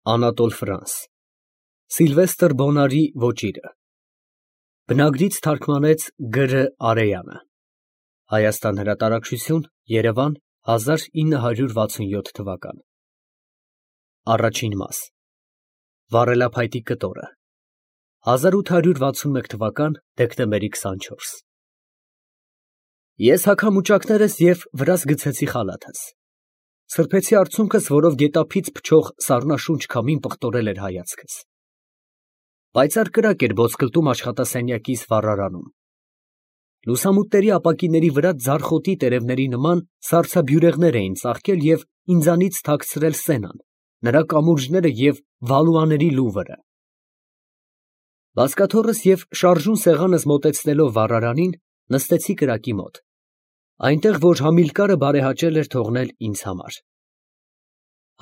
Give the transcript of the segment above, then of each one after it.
Անատոլ Ֆրանս Սիլվեստր Բոնարի ոճիրը Բնագրից թարգմանեց Գ.Ռ. Արեյանը Հայաստան հրատարակչություն Երևան 1967 թվական Առաջին մաս Վառելափայտի կտորը 1861 թվական դեկտեմբերի 24 Ես հագամուճակներս և վրաս գցեցի խալաթս, սրբեցի արցունքս, որով գետափից փչող սառնաշունչ քամին պղտորել էր հայացքս, պայծառ կրակ էր ոսկլտում աշխատասենյակիս վառարանում, լուսամուտների ապակիների վրա ձարխոտի տերևների նման սառցաբյուրեղներ էին ծաղկել և ինձանից թաքցրել սենան, նրա կամուրջները և վալուաների լուվրը, բազկաթոռս և շարժուն սեղանս մոտեցնելով վառարանին, նստեցի կրակի մոտ, այնտեղ, որ Համիլկարը բարեհաճել էր թողնել ինձ համար.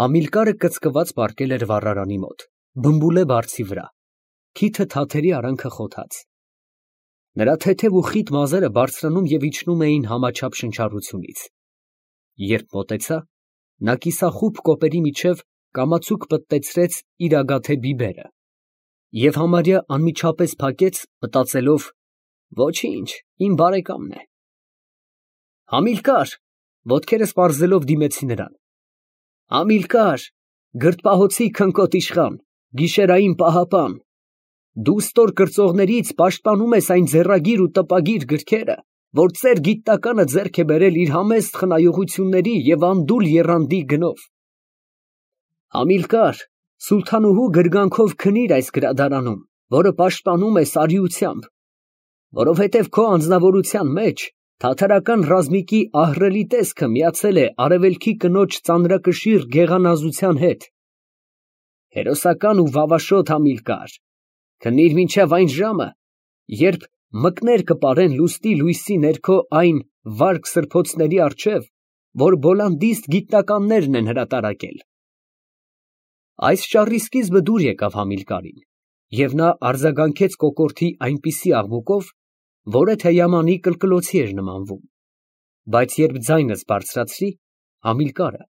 Համիլկարը կծկված պառկել էր վառարանի մոտ, բմբուլե բարձի վրա, քիթը թաթերի արանքը խոթած, նրա թեթև ու խիտ մազերը բարձրանում և իջնում էին համաչափ շնչառությունից, երբ մոտեցա, նա կիսախուբ կոպերի միջև կամացուկ պտտեցրեց իր ագաթե բիբերը և համարյա անմիջապես փակեց, մտածելով. «Ոչինչ, իմ բարեկամն է»։ «Համիլկար», ոտքերս պարզելով դիմեցի նրան, «Համիլկար, գրդպահոցի քնկոտ իշխան, գիշերային պահապան, դու ստոր կրծողներից պաշտպանում ես այն ձեռագիր ու տպագիր գրքերը, որ ծեր գիտնականը ձեռք է բերել իր համեստ խնայողությունների և անդուլ եռանդի գնով։ Համիլկար, սուլթանուհու գրգանքով քնիր այս գրադարանում, որը պաշտպանում ես արիությամբ, որովհետև քո անձնավորության մեջ թաթարական ռազմիկի ահռելի տեսքը միացել է արևելքի կնոջ ծանրակշիռ գեղանազության հետ։ Հերոսական ու վավաշոտ Համիլկար, քնիր մինչև այն ժամը, երբ մկներ կպարեն լուստի լույսի ներքո այն վարք սրբոցների առջև, որ բոլանդիստ գիտնականներն են հրատարակել։ Այս ճառի սկիզբը դուր եկավ Համիլկարին, և նա արձագանքեց կոկորդի այնպիսի աղմուկով, որը թեյամանի կլկլոցի էր նմանվում, բայց երբ ձայնս բարձրացրի, Համիլկարը,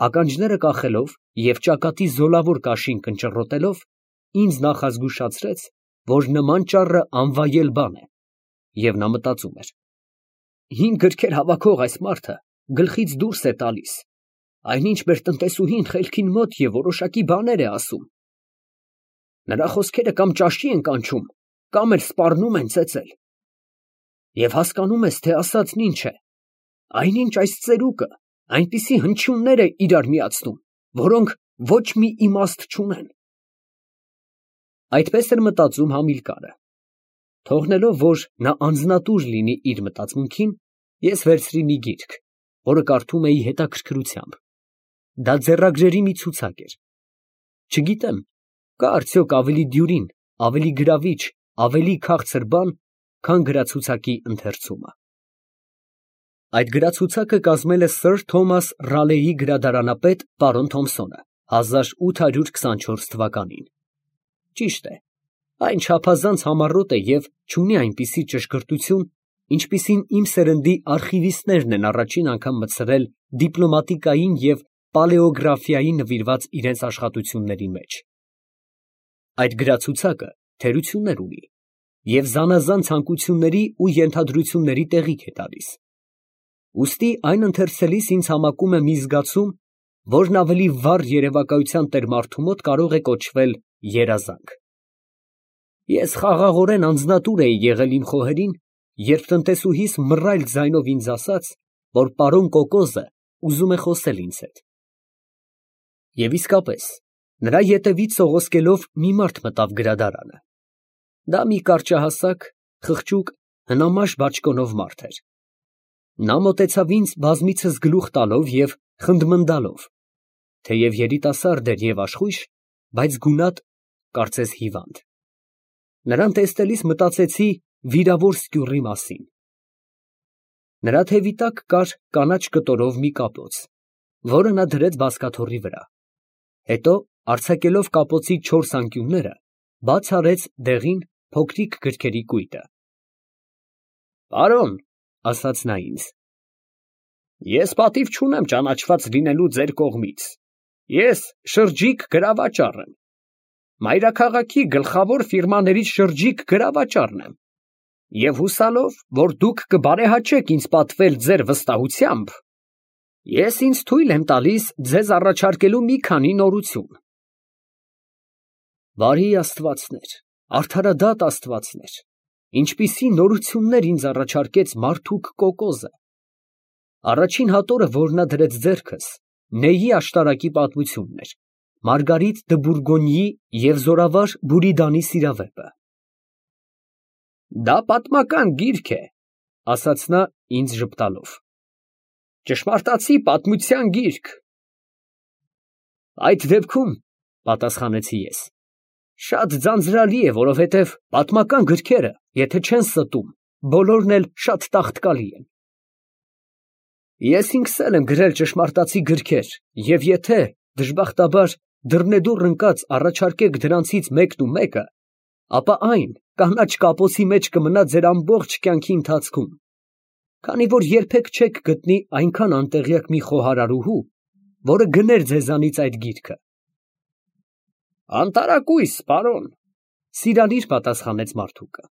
ականջները կախելով և ճակատի զոլավոր կաշին կնճռոտելով, ինձ նախազգուշացրեց, որ նման ճառը անվայել բան է, և նա մտածում էր. «Հին գրքեր հավաքող այս մարդը գլխից դուրս է տալիս, այնինչ մեր տնտեսուհին խելքին մոտ և որոշակի բաներ է ասում. նրա խոսքերը կամ ճաշի են կանչում, կամ էլ սպառնում են ծեծել։ Եվ հասկանում ես, թե ասածն ինչ է, այնինչ այս ծերուկը այնպիսի հնչյուններ է իրար միացնում, որոնք ոչ մի իմաստ չունեն»։ Այդպես էր մտածում Համիլկարը։ Թողնելով, որ նա անձնատուր լինի իր մտածմունքին, ես վերցրի մի գիրք, որը կարդում էի հետաքրքրությամբ. դա ձեռագրերի մի ցուցակ էր։ Չգիտեմ, կա արդյոք ավելի դյուրին, ավելի գրավիչ, ավելի քաղցր բան, քան գրացուցակի ընթերցումը։ Այդ գրացուցակը կազմել է սըր Թոմաս Ռալեի գրադարանապետ պարոն Թոմսոնը 1824 թվականին։ Ճիշտ է, այն չափազանց համառոտ է և չունի այնպիսի ճշգրտություն, ինչպիսին իմ սերնդի արխիվիստներն են առաջին անգամ մտցրել դիպլոմատիկային և պալեոգրաֆիային նվիրված իրենց աշխատությունների մեջ։ Այդ գրացուցակը թերություններ ունի և զանազան ցանկությունների ու ենթադրությունների տեղիք է տալիս։ Ուստի այն ընթերցելիս ինձ համակում է մի զգացում, որն ավելի վառ երևակայության տեր մարդու մոտ կարող է կոչվել երազանք։ Ես խաղաղորեն անձնատուր էի եղել իմ խոհերին, երբ տնտեսուհիս մռայլ ձայնով ինձ ասաց, որ պարոն Կոկոզը ուզում է խոսել ինձ հետ։ Եվ իսկապես, նրա ետևից սողոսկելով մի մարդ մտավ գրադարանը։ Դա մի կարճահասակ, խղճուկ, հնամաշ բաճկոնով մարդ էր։ Նա մոտեցավ ինձ բազմիցս գլուխ տալով և խնդմնդալով, թեև երիտասարդ էր և աշխույժ, բայց գունատ, կարծես հիվանդ։ Նրան տեսնելիս մտածեցի վիրավոր սկյուռի մասին։ Նրա թևի տակ կար կանաչ կտորով մի կապոց, որը նա դրեց բազկաթոռի վրա, հետո արձակելով կապոցի 4 անկյունները, բաց արեց դեղին, փոքրիկ գրքերի կույտը։ «Պարոն, ֊ ասաց նա ինձ, ֊ ես պատիվ չունեմ ճանաչված լինելու ձեր կողմից Ես շրջիկ գրավաճառ եմ։ Մայրաքաղաքի գլխավոր ֆիրմաներից շրջիկ գրավաճառն եմ։ Եվ հուսալով, որ դուք կբարեհաճեք ինձ պատվել ձեր վստահությամբ, ես ինձ թույլ եմ տալիս ձեզ առաջարկելու մի քանի նորություն։ Բարի աստվածներ, արդարադատ աստվածներ, ինչպիսի նորություններ ինձ առաջարկեց մարդուկ կոկոզը։ Առաջին հատորը, որ նա դրեց ձեռքս, Նեյի աշտարակի պատմությունն էր, Մարգարիտ դը Բուրգոնիի և զորավար Բուրիդանի սիրավեպը։ Դա պատմական գիրք է, ասաց նա ինձ ժպտալով, ճշմարտացի պատմության գիրք։ Այդ դեպքում, պատասխանեցի ես, շատ ձանձրալի է, որովհետև պատմական գրքերը, եթե չեն ստում, բոլորն էլ շատ տաղտկալի են։ Ես ինքս էլ եմ գրել ճշմարտացի գրքեր, և եթե, դժբախտաբար, դռնեդուռ ընկած առաջարկեք դրանցից մեկն ու մեկը, ապա այն կանաչ կապոցի մեջ կմնա ձեր ամբողջ կյանքի ընթացքում, քանի որ երբեք չեք գտնի այնքան անտեղյակ մի խոհարարուհու, որը գներ ձեզանից այդ գիրքը։ Անտարակույս, պարոն, սիրալիր պատասխանեց մարդուկը,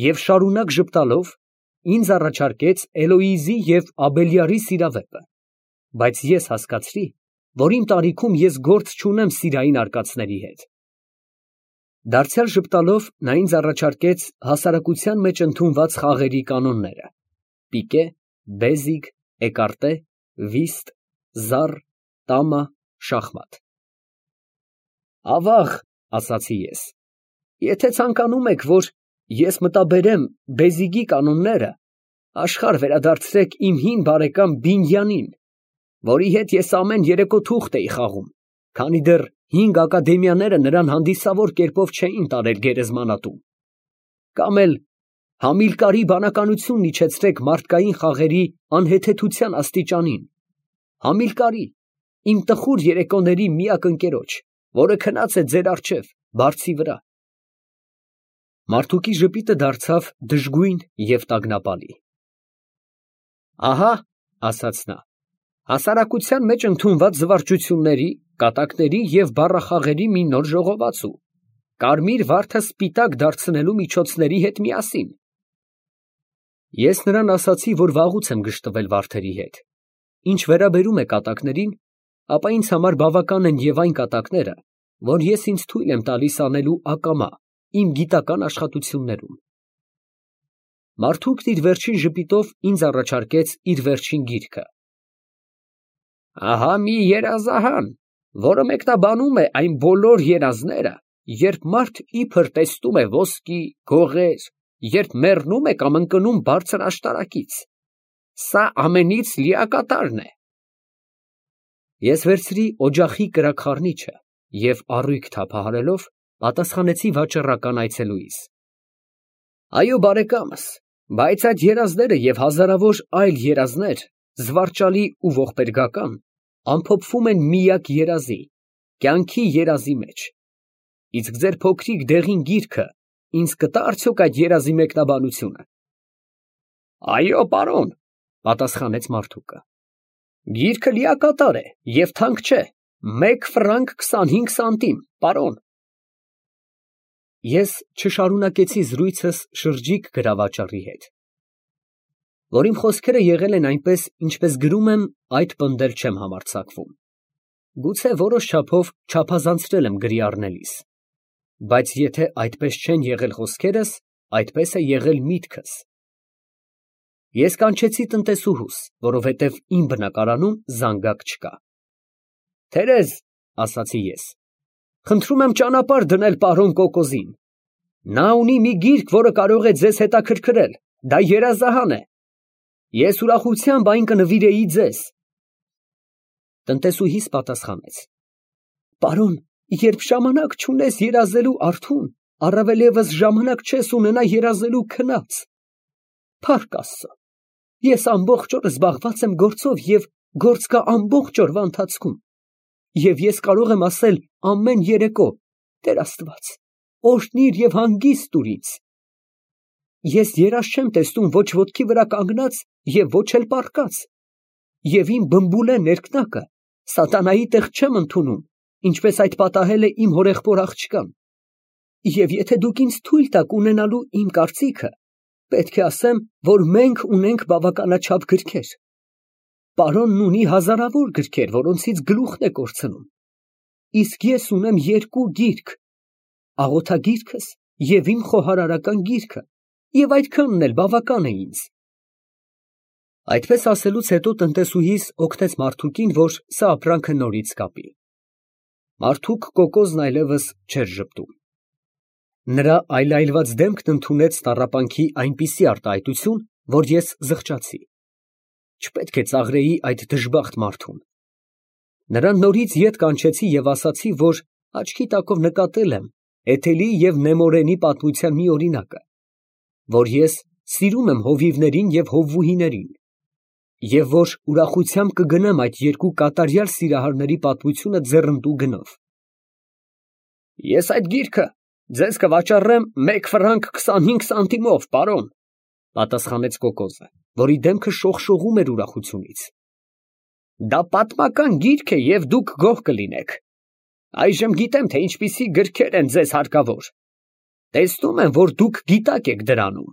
և շարունակ ժպտալով ինձ առաջարկեց Էլոիզի և Աբելյարի սիրավեպը, բայց ես հասկացրի, որ իմ տարիքում ես գործ չունեմ սիրային արկածների հետ։ Դարձյալ ժպտալով նա ինձ առաջարկեց հասարակության մեջ ընդունված խաղերի կանոնները՝ պիկե, բեզիկ, էկարտե, վիստ, զառ, տամա, շախմատ։ Ավաղ, ասացի ես, եթե ցանկանում եք, որ ես մտաբերեմ բեզիկի կանոնները, աշխարհ վերադարձրեք իմ հին բարեկամ Բինյանին, որի հետ ես ամեն երեկո թուղթ էի խաղում, քանի դեռ 5 ակադեմիաները նրան հանդիսավոր կերպով չէին տարել գերեզմանատուն, կամ էլ Համիլկարի բանականությունն իջեցրեք մարդկային խաղերի անհեթեթության աստիճանին, Համիլկարի, իմ տխուր երեկոների միակ ընկերոջ, որը քնած է ձեր առջև, բարձի վրա։ Մարդուկի ժպիտը դարձավ դժգույն և տագնապալի։ Ահա, ասաց նա, հասարակության մեջ ընդունված զվարճությունների, կատակների և բառախաղերի մի նոր ժողովածու, կարմիր վարդը սպիտակ դարձնելու միջոցների հետ միասին։ Ես նրան ասացի, որ վաղուց եմ գժտվել վարդերի հետ։ Ինչ վերաբերում է կատակներին, ապա ինձ համար բավական են և այն կատակները, որ ես ինձ թույլ եմ տալիս անելու ակամա իմ գիտական աշխատություններում։ Մարդուկն իր վերջին ժպիտով ինձ առաջարկեց իր վերջին գիրքը։ Ահա մի երազահան, որը մեկնաբանում է այն բոլոր երազները, երբ մարդ իբր տեսնում է ոսկի, գողեր, երբ մեռնում է կամ ընկնում բարձր աշտարակից։ Սա ամենից լիակատարն է։ Ես վերցրի օջախի կրակ խառնիչը և առույգ թափահարելով պատասխանեցի վաճառական այցելուից. Այո, բարեկամս, բայց այդ երազները և հազարավոր այլ երազներ, զվարճալի ու ողբերգական, ամփոփվում են միակ երազի, կյանքի երազի մեջ։ Իսկ ձեր փոքրիկ դեղին գիրքը ինձ կտա՞ արդյոք այդ երազի մեկնաբանությունը։ Այո, պարոն, պատասխանեց մարդուկը։ Գիրքը լիակատար է և թանկ չէ, 1 ֆրանկ 25 սանտիմ, պարոն։ Ես չշարունակեցի զրույցս շրջիկ գրավաճառի հետ, որ իմ խոսքերը եղել են այնպես, ինչպես գրում եմ, այդ պնդել չեմ համարձակվում։ Գուցե որոշ չափով չափազանցրել եմ գրի առնելիս, բայց եթե այդպես չեն եղել խոսքերս, այդպես է եղել միտքս։ Ես կանչեցի տնտեսուհուս, որովհետև իմ բնակարանում զանգակ չկա։ Թերեզ, ասացի ես, խնդրում եմ ճանապարհ դնել պարոն Կոկոզին։ Նա ունի մի գիրք, որը կարող է ձեզ հետաքրքրել, դա երազահան է։ Ես ուրախությամբ այն կնվիրեի ձեզ։ Տնտեսուհիս պատասխանեց. Պարոն, երբ ժամանակ չունես երազելու արթուն, առավել ևս ժամանակ չես ունենա երազելու քնած։ Փառք Աստծո, ես ամբողջ օրը զբաղված եմ գործով և գործ կա ամբողջ օրվա ընթացքում։ Եվ ես կարող եմ ասել ամեն երեկո. Տեր Աստված, օրհնիր և հանգիստ տուր ինձ։ Ես երազ չեմ տեսնում ոչ ոտքի վրա կանգնած և ոչ էլ պառկած, և իմ բմբուլե ներքնակը Սատանայի տեղ չեմ ընդունում, ինչպես այդ պատահել է իմ հորեղբոր աղջկան։ Եվ եթե դուք ինձ թույլ տաք ունենալու իմ կարծիքը, պետք է ասեմ, որ մենք ունենք բավականաչափ գրքեր։ Պարոնն ունի հազարավոր գրքեր, որոնցից գլուխն է կորցնում։ Իսկ ես ունեմ 2 գիրք, աղոթագիրքս և իմ խոհարարական գիրքը, և այդքանն էլ բավական է ինձ։ Այդպես ասելուց հետո տնտեսուհիս օգնեց Մարթուկին, որ սա ապրանքը նորից կապի։ Մարդուկ կոկոզն այլևս չէր ժպտում։ Նրա այլայլված դեմքն ընդունեց տառապանքի այնպիսի արտահայտություն, որ ես զղջացի։ Չպետք է ծաղրեի այդ դժբախտ մարդուն։ Նրան նորից ետ կանչեցի և ասացի, որ աչքի տակով նկատել եմ Էթելի և Նեմորենի պատմության մի օրինակը, որ ես սիրում եմ հովիվներին և հովվուհիներին, և որ ուրախությամբ կգնեմ այդ 2 կատարյալ սիրահարների պատմությունը ձեռնտու գնով։ Ես այդ գիրքը ձեզ կվաճառեմ 1 ֆրանկ 25 սանտիմով, պարոն, պատասխանեց կոկոզը, որի դեմքը շողշողում էր ուրախությունից։ Դա պատմական գիրք է և դուք գոհ կլինեք։ Այժմ գիտեմ, թե ինչպիսի գրքեր են ձեզ հարկավոր։ Տեսնում եմ, որ դուք գիտակ եք դրանում։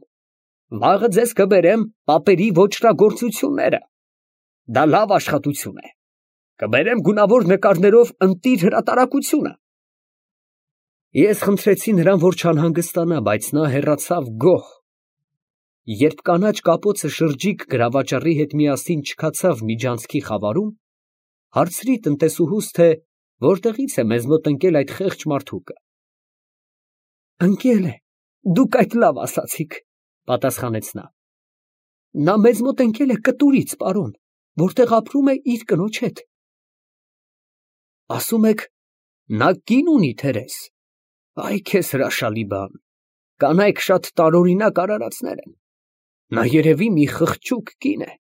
Վաղը ձեզ կբերեմ պապերի ոճրագործությունները։ Դա լավ աշխատություն է։ Կբերեմ գունավոր նկարներով ընտիր հրատարակությունը։ Ես խնդրեցի նրան, որ չանհանգստանա, բայց նա հեռացավ գոհ։ Երբ կանաչ կապոցը շրջիկ գրավաճառի հետ միասին չքացավ միջանցքի խավարում, հարցրի տնտեսուհուս, թե որտեղից է մեզ մոտ ընկել այդ խեղճ մարդուկը։ Ընկել է, դուք այդ լավ ասացիք, պատասխանեց նա։ Նա մեզ մոտ ընկել է կտուրից, պարոն, որտեղ ապրում է իր կնոջ հետ։ Ասում եք, նա կին ունի, Թերես։ Այ քեզ հրաշալի բան, կանայք շատ տարօրինակ արարածներ են։ Նա երևի մի խղճուկ կին է։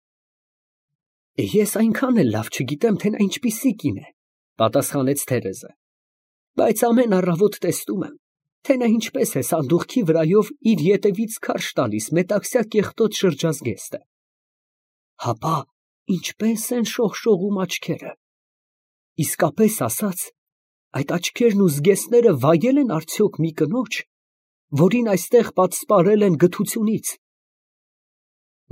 Ես այնքան էլ լավ չգիտեմ, թե նա ինչպիսի կին է, պատասխանեց Թերեզը, բայց ամեն առավոտ տեսնում եմ, թե նա ինչպես է սանդուղքի վրայով իր ետևից քարշ տալիս մետաքսյա կեղտոտ շրջազգեստը։ Հապա ինչպես են շողշողում աչքերը։ Իսկապես ասած, այդ աչքերն ու զգեստները վայել են արդյոք մի կնոջ, որին այստեղ պատսպարել են գթությունից։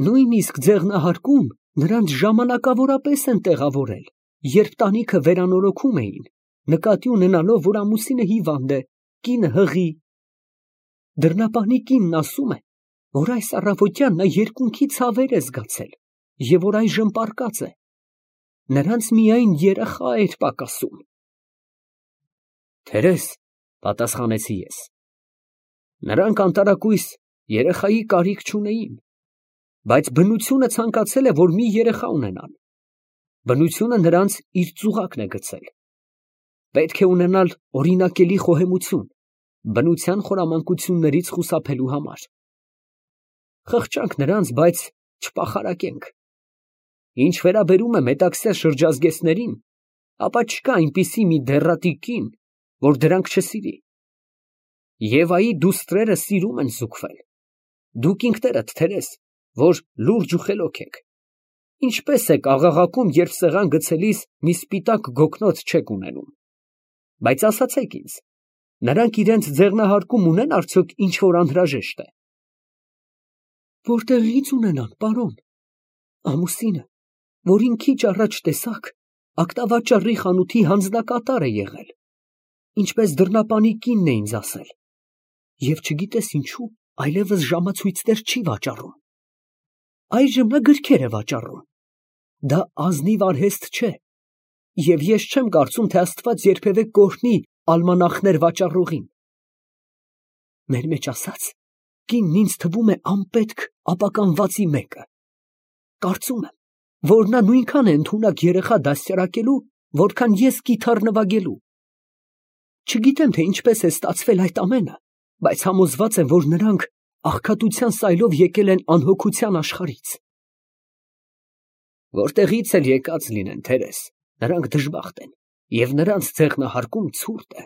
Նույնիսկ ձեղնահարկում նրանց ժամանակավորապես են տեղավորել, երբ տանիքը վերանորոգում էին, նկատի ունենալով, որ ամուսինը հիվանդ է, կինը հղի։ Դռնապանի կինն ասում է, որ այս առավոտյան նա երկունքի ցավեր է զգացել և որ այժմ պառկած է։ Նրանց միայն երեխա էր պակասում։ Թերես, պատասխանեցի ես, նրանք անտարակույս երեխայի կարիք չունեին, բայց բնությունը ցանկացել է, որ մի երեխա ունենան։ Բնությունը նրանց իր ծուղակն է գցել։ Պետք է ունենալ օրինակելի խոհեմություն, բնության խորամանկություններից խուսափելու համար։ Խղճանք նրանց, բայց չպախարակենք։ Ինչ վերաբերում է մետաքսյա շրջազգեստներին, ապա չկա այնպիսի մի դեռատի կին, որ դրանք չսիրի։ Եվայի դուստրերը սիրում են զուգվել։ Դուք ինքներդ, Թերես, որ լուրջ ու խելոք եք, ինչպես եք աղաղակում, երբ սեղան գցելիս մի սպիտակ գոգնոց չեք ունենում։ Բայց ասացեք ինձ, նրանք իրենց ձեղնահարկում ունեն արդյոք ինչ որ անհրաժեշտ է։ Որտեղից ունենան, պարոն։ Ամուսինը, որին քիչ առաջ տեսաք, ակտավաճառի խանութի հանձնակատար է եղել, ինչպես դռնապանի կինն է ինձ ասել, և չգիտես ինչու, այլևս ժամացույցներ չի վաճառում։ Այժմ նա գրքեր է վաճառում։ Դա ազնիվ արհեստ չէ, և ես չեմ կարծում, թե Աստված երբևէ կօրհնի ալմանախներ վաճառողին։ Մեր մեջ ասած, կինն ինձ թվում է անպետք ապականվածի մեկը։ Կարծում եմ, որ նա նույնքան է ընդունակ երեխա դաստիարակելու, որքան ես կիթառ նվագելու։ Չգիտեմ, թե ինչպես է ստացվել այդ ամենը, բայց համոզված եմ, որ նրանք աղքատության սայլով եկել են անհոգության աշխարհից։ Որտեղից էլ եկած լինեն, Թերես, նրանք դժբախտ են, և նրանց ձեղնահարկում ցուրտ է։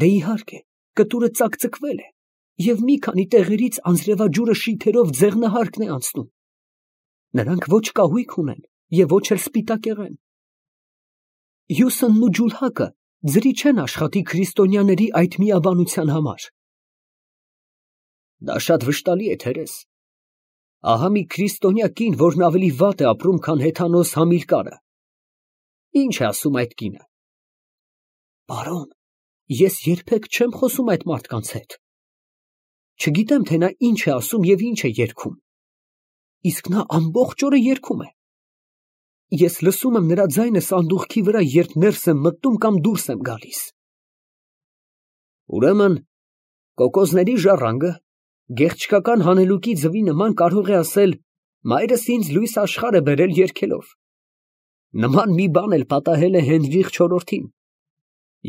Դե իհարկե, կտուրը ծակծկվել է, և մի քանի տեղերից անձրևաջուրը շիթերով ձեղնահարկն է անցնում։ Նրանք ոչ կահույք ունեն և ոչ էլ սպիտակեղեն, Հյուսոնն ու ջուլհակը ձրի չեն աշխատի քրիստոնյաների այդ միաբանության համար։ Դա շատ վշտալի է, Թերես։ Ահա մի քրիստոնյա կին, որն ավելի վատ է ապրում, քան հեթանոս Համիլկարը։ Ինչ է ասում այդ կինը։ Պարոն, ես երբեք չեմ խոսում այդ մարդկանց հետ։ Չգիտեմ, թե նա ինչ է ասում և ինչ է երգում։ Իսկ նա ամբողջ օրը երգում է։ Ես լսում եմ նրա ձայնը սանդուղքի վրա, երբ ներս եմ մտնում կամ դուրս եմ գալիս։ Ուրեմն, կոկոսների ժառանգը գեղչկական հանելուկի ձվի նման կարող է ասել. «Մայրս ինձ լույս աշխարհ է բերել երգելով»։ Նման մի բան էլ պատահել է Հենրիխ IV-ին։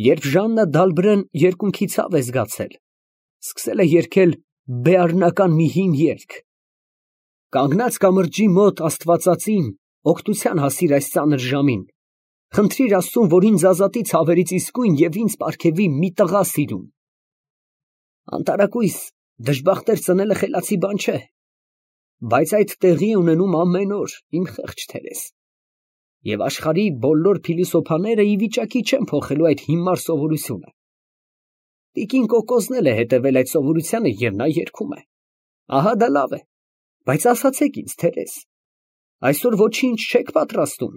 Երբ Ժաննա Դալբրեն երկունքի ցավ է զգացել, սկսել է երգել բեառնական մի հին երգ. «Կանգնած կամրջի մոտ Աստվածածին, օգնության հասիր այս ծանր ժամին, խնդրիր Աստծուն, որ ինձ ազատի ցավերից իսկույն և ինձ պարգևի մի տղա սիրուն»։ Անտարակույս դժբախտեր ծնելը խելացի բան չէ, բայց այդ տեղի է ունենում ամեն օր, իմ խեղճ Թերես, և աշխարհի բոլոր փիլիսոփաները ի վիճակի չեն փոխելու այդ հիմար սովորությունը։ Տիկին Կոկոսն էլ է հետևել այդ սովորությանը և նա երգում է։ Ահա դա լավ է, բայց ասացեք ինձ, Թերես, այսօր ոչինչ չեք պատրաստում։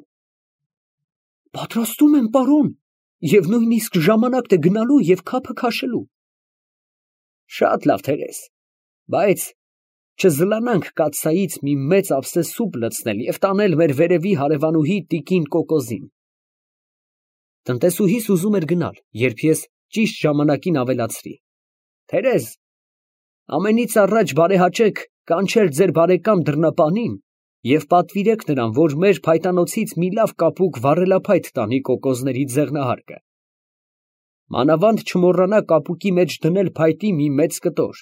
Պատրաստում եմ, պարոն, և նույնիսկ ժամանակն է գնալու և քափը քաշելու։ Շատ լավ, Թերես, բայց չզլանանք կաթսայից մի մեծ ափսե սուպ լցնել և տանել մեր վերևի հարևանուհի տիկին Կոկոսին։ Տնտեսուհիս ուզում էր գնալ, երբ ես ճիշտ ժամանակին ավելացրի. Թերез, ամենից առաջ բարեհաճեք կանչել ձեր բարեկամ դռնապանին և պատվիրեք նրան, որ մեր փայտանոցից մի լավ կապուկ վառելափայտ տանի կոկոսների ձեղնահարկը։ Մանավանդ չմոռանա կապուկի մեջ դնել փայտի մի մեծ կտոր,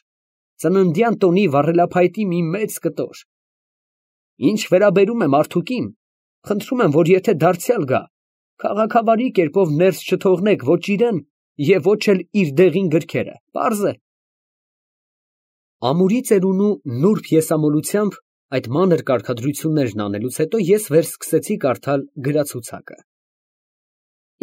ծննդյան տոնի վառելափայտի մի մեծ կտոր։ Ինչ վերաբերում է մարդուկին, խնդրում եմ, որ եթե դարձյալ գա, քաղաքավարի կերպով ներս չթողնեք ոչ իրան և ոչ էլ իր դեղին գրքերը, պարզ է։ Ամուրի ծերունու նուրբ եսամոլությամբ այդ մանր կարգադրություններն անելուց հետո ես վերսկսեցի կարդալ գրացուցակը։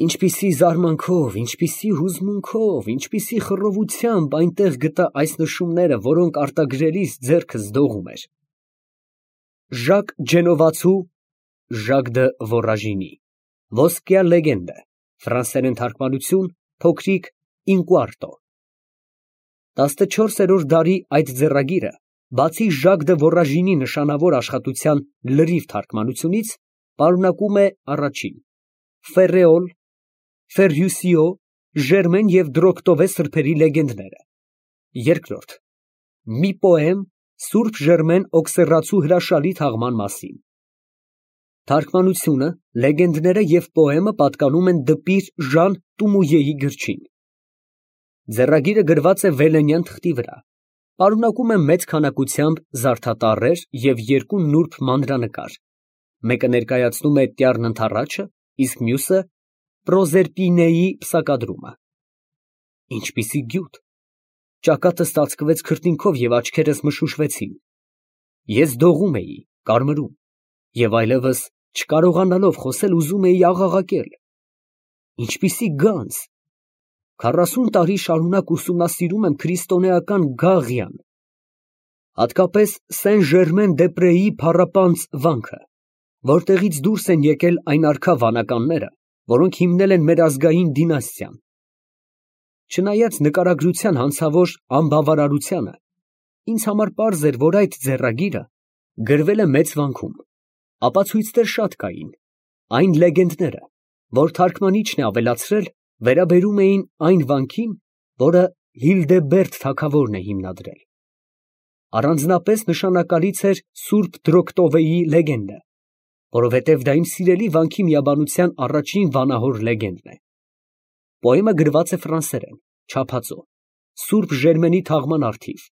Ինչպիսի զարմանքով, ինչպիսի հուզմունքով, ինչպիսի խռովությամբ այնտեղ գտա այս նշումները, որոնք արտագրելիս ձեռքս դողում էր. Ժակ Ջենովացու Ժակ դը Վորաժինի Ոսկյա լեգենդը, ֆրանսերեն թարգմանություն, փոքրիկ ինկուարտո։ 14-րդ դարի այդ ձեռագիրը, բացի Ժակ դը Վորաժինի նշանավոր աշխատության լրիվ թարգմանությունից, պարունակում է առաջին. Ֆերրեոլ, Ֆերրյուսիո, Ժերմեն և Դրոկտովե սրբերի լեգենդները, երկրորդ. մի պոեմ Սուրբ Ժերմեն Օքսերացու հրաշալի թաղման մասին։ Թարգմանությունը, լեգենդները և պոեմը պատկանում են դպիր Ժան Տումույեի գրչին։ Ձեռագիրը գրված է վելենյան թղթի վրա, պարունակում է մեծ քանակությամբ զարդատառեր և երկու նուրբ մանրանկար, մեկը ներկայացնում է Տյառն ընդառաջը, իսկ մյուսը Պրոզերպինեի պսակադրումը։ Ինչպիսի գյուտ, ճակատս ծածկվեց քրտինքով և աչքերս մշուշվեցին։ Ես դողում էի, կարմրում և այլևս չկարողանալով խոսել ուզում էի աղաղակել։ Ինչպիսի գանձ, 40 տարի շարունակ ուսումնասիրում եմ քրիստոնեական Գաղիան, հատկապես Սեն Ժերմեն դե Պրեի փառապանծ վանքը, որտեղից դուրս են եկել այն արքա վանականները, որոնք հիմնել են մեր ազգային դինաստիան։ Չնայած նկարագրության հանցավոր անբավարարությանը, ինձ համար պարզ էր, որ այդ ձեռագիրը գրվել է մեծ վանքում, ապացույցներ շատ կային, այն լեգենդները, որ թարգմանիչն է ավելացրել, վերաբերում էին այն վանքին, որը Հիլդեբերդ թագավորն է հիմնադրել։ Առանձնապես նշանակալից էր Սուրբ Դրոկտովեի լեգենդը, որովհետև դա իմ սիրելի վանքի միաբանության առաջին վանահոր լեգենդն է։ Պոեմը գրված է ֆրանսերեն, չափածո, Սուրբ Ժերմենի թաղման առթիվ,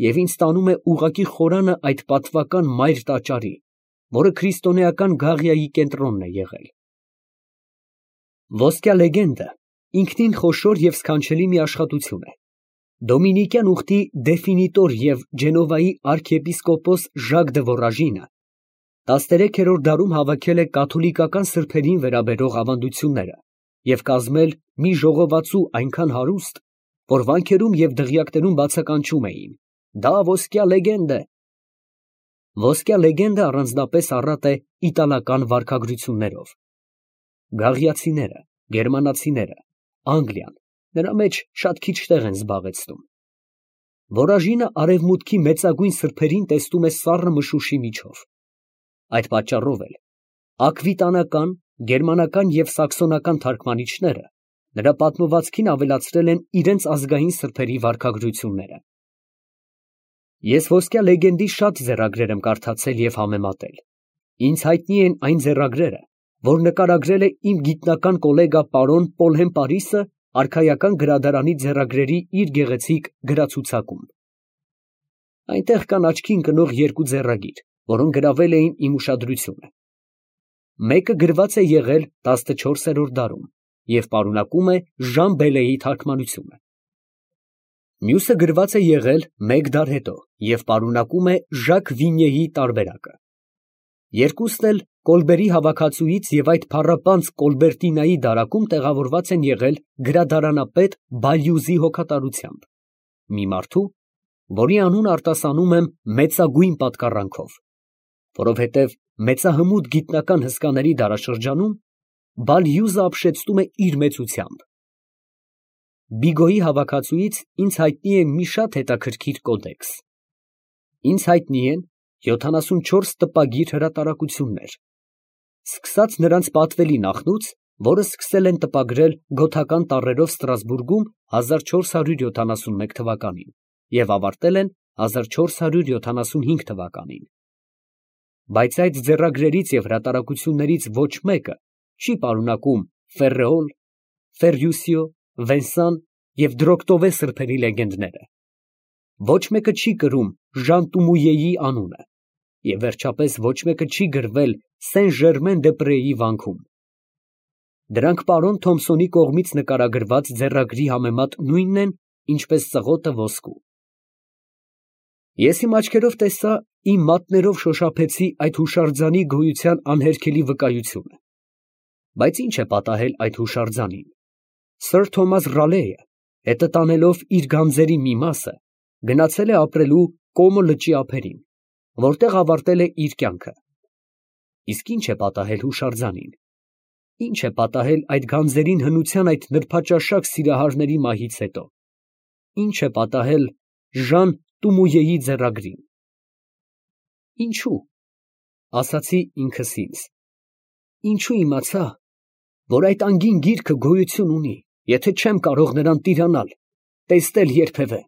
և ինձ տանում է ուղղակի խորանը այդ պատվական մայր տաճարի, որը քրիստոնեական Գաղիայի կենտրոնն է եղել։ Ոսկյա լեգենդը ինքնին խոշոր և սքանչելի մի աշխատություն է։ Դոմինիկյան ուխտի դեֆինիտոր և Ջենովայի արքեպիսկոպոս Ժակ դը Վորաժինը 13-րդ դարում հավաքել է կաթոլիկական սրբերին վերաբերող ավանդությունները և կազմել մի ժողովածու այնքան հարուստ, որ վանքերում և դղյակներում բացականչում էին. «Դա ոսկյա լեգենդ է»։ Ոսկյա լեգենդը առանձնապես առատ է իտալական վարքագրություններով։ Գաղիացիները, գերմանացիները, Անգլիան նրա մեջ շատ քիչ տեղ են զբաղեցնում։ Որաժինը արևմուտքի մեծագույն սրբերին տեսնում է սառը մշուշի միջով։ Այդ պատճառով էլ աքվիտանական, գերմանական և սաքսոնական թարգմանիչները նրա պատմվածքին ավելացրել են իրենց ազգային սրբերի վարքագրությունները։ Ես ոսկյա լեգենդի շատ ձեռագրեր եմ կարդացել և համեմատել։ Ինձ հայտնի են այն ձեռագրերը, որ նկարագրել է իմ գիտնական կոլեգա պարոն Պոլհեմ Պարիսը արքայական գրադարանի ձեռագրերի իր գեղեցիկ գրացուցակում։ Այնտեղ կան աչքի ընկնող երկու ձեռագիր, որոնք գրավել էին իմ ուշադրությունը։ Մեկը գրված է եղել 14-րդ դարում և պարունակում է Ժան Բելեի թարգմանությունը։ Մյուսը գրված է եղել մեկ դար հետո և պարունակում է Ժակ Վինյեի տարբերակը։ Երկուսն էլ Կոլբերի հավաքածուից և այդ փառապանծ Կոլբերտինայի դարակում տեղավորված են եղել գրադարանապետ Բալյուզի հոգատարությամբ, մի մարդու, որի անունը արտասանում եմ մեծագույն պատկառանքով, որովհետև մեծահմուտ գիտնական հսկաների դարաշրջանում Բալյուզը ապշեցնում է իր մեծությամբ։ Բիգոյի հավաքածուից ինձ հայտնի է մի շատ հետաքրքիր կոդեքս։ Ինձ հայտնի են 74 տպագիր հրատարակություններ, սկսած նրանց պատվելի նախնուց, որը սկսել են տպագրել գոթական տառերով Ստրասբուրգում 1471 թվականին և ավարտել են 1475 թվականին։ Բայց այդ ձեռագրերից և հրատարակություններից ոչ մեկը չի պարունակում Ֆերրեոլ, Ֆերյուսիո, Վենսան և Դրոկտովե սրբերի լեգենդները։ Ոչ մեկը չի կրում Ժան Տումույեի անունը և վերջապես ոչ մեկը չի գրվել Սեն֊Ժերմեն-դե֊Պրեի վանքում։ Դրանք պարոն Թոմսոնի կողմից նկարագրված ձեռագրի համեմատ նույնն են, ինչպես ծղոտը ոսկու։ Ես իմ աչքերով տեսա, իմ մատներով շոշափեցի այդ հուշարձանի գոյության անհերքելի վկայությունը։ Բայց ի՞նչ է պատահել այդ հուշարձանին։ Սըր Թոմաս Ռալեյը, հետը տանելով իր գանձերի մի մասը, գնացել է ապրելու Կոմո լճի ափերին, որտեղ ավարտել է իր կյանքը։ Իսկ ի՞նչ է պատահել հուշարձանին։ Ի՞նչ է պատահել այդ գանձերին հնության այդ նրբաճաշակ սիրահարների մահից հետո։ Ի՞նչ է պատահել Ժան Տումույեի ձեռագրին։ Ինչո՞ւ, ասացի ինքս ինձ, ինչու իմացա, որ այդ անգին գիրքը գոյություն ունի, եթե չեմ կարող նրան տիրանալ, տեսնել երբևէ։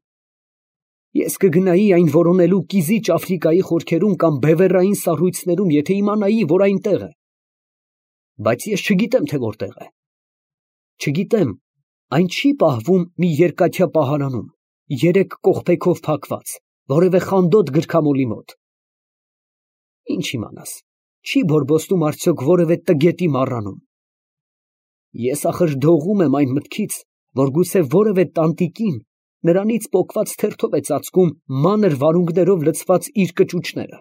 Ես կգնայի այն որոնելու կիզիչ Աֆրիկայի խորքերում կամ բևեռային սառույցներում, եթե իմանայի, որ այնտեղ է։ Բայց ես չգիտեմ, թե որտեղ է։ Չգիտեմ, այն չի պահվում մի երկաթյա պահարանում, 3 կողպեքով փակված, որևէ խանդոտ գրքամոլի մոտ։ Ինչ իմանաս, չի բորբոստում արդյոք որևէ տգետի մառանում։ Ես ախր դողում եմ այն մտքից, որ գուցե որևէ տանտիկին նրանից պոկված թերթով է ծածկում մանր վարունգներով լցված իր կճուճները։